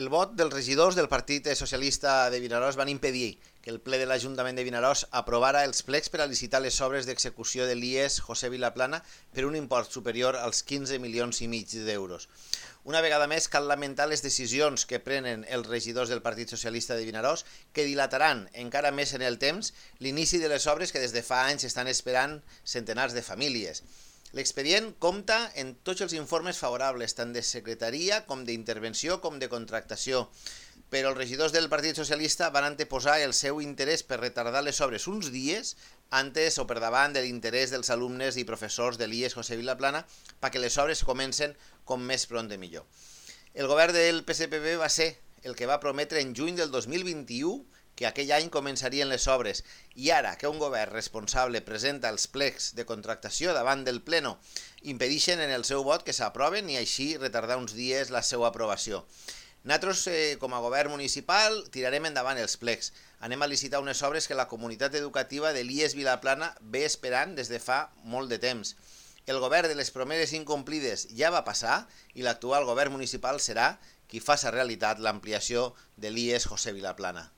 El vot dels regidors del Partit Socialista de Vinaròs van impedir que el ple de l'Ajuntament de Vinaròs aprovara els plecs per a licitar les obres d'execució de l'IES José Vilaplana per un import superior als 15,5 milions d'euros. Una vegada més, cal lamentar les decisions que prenen els regidors del Partit Socialista de Vinaròs, que dilataran encara més en el temps l'inici de les obres que des de fa anys estan esperant centenars de famílies. L'expedient compta en tots els informes favorables, tant de secretaria com d'intervenció com de contractació, però els regidors del Partit Socialista van anteposar el seu interès per retardar les obres uns dies antes o per davant de l'interès dels alumnes i professors de l'IES José Vilaplana perquè les obres comencen com més pront de millor. El govern del PSPB va ser el que va prometre en juny del 2021 que aquell any començarien les obres, i ara que un govern responsable presenta els plecs de contractació davant del Pleno, impedeixen en el seu vot que s'aproven i així retardar uns dies la seva aprovació. Nosaltres, com a govern municipal, tirarem endavant els plecs. Anem a licitar unes obres que la comunitat educativa de l'IES Vilaplana ve esperant des de fa molt de temps. El govern de les promeses incomplides ja va passar i l'actual govern municipal serà qui faci realitat l'ampliació de l'IES José Vilaplana.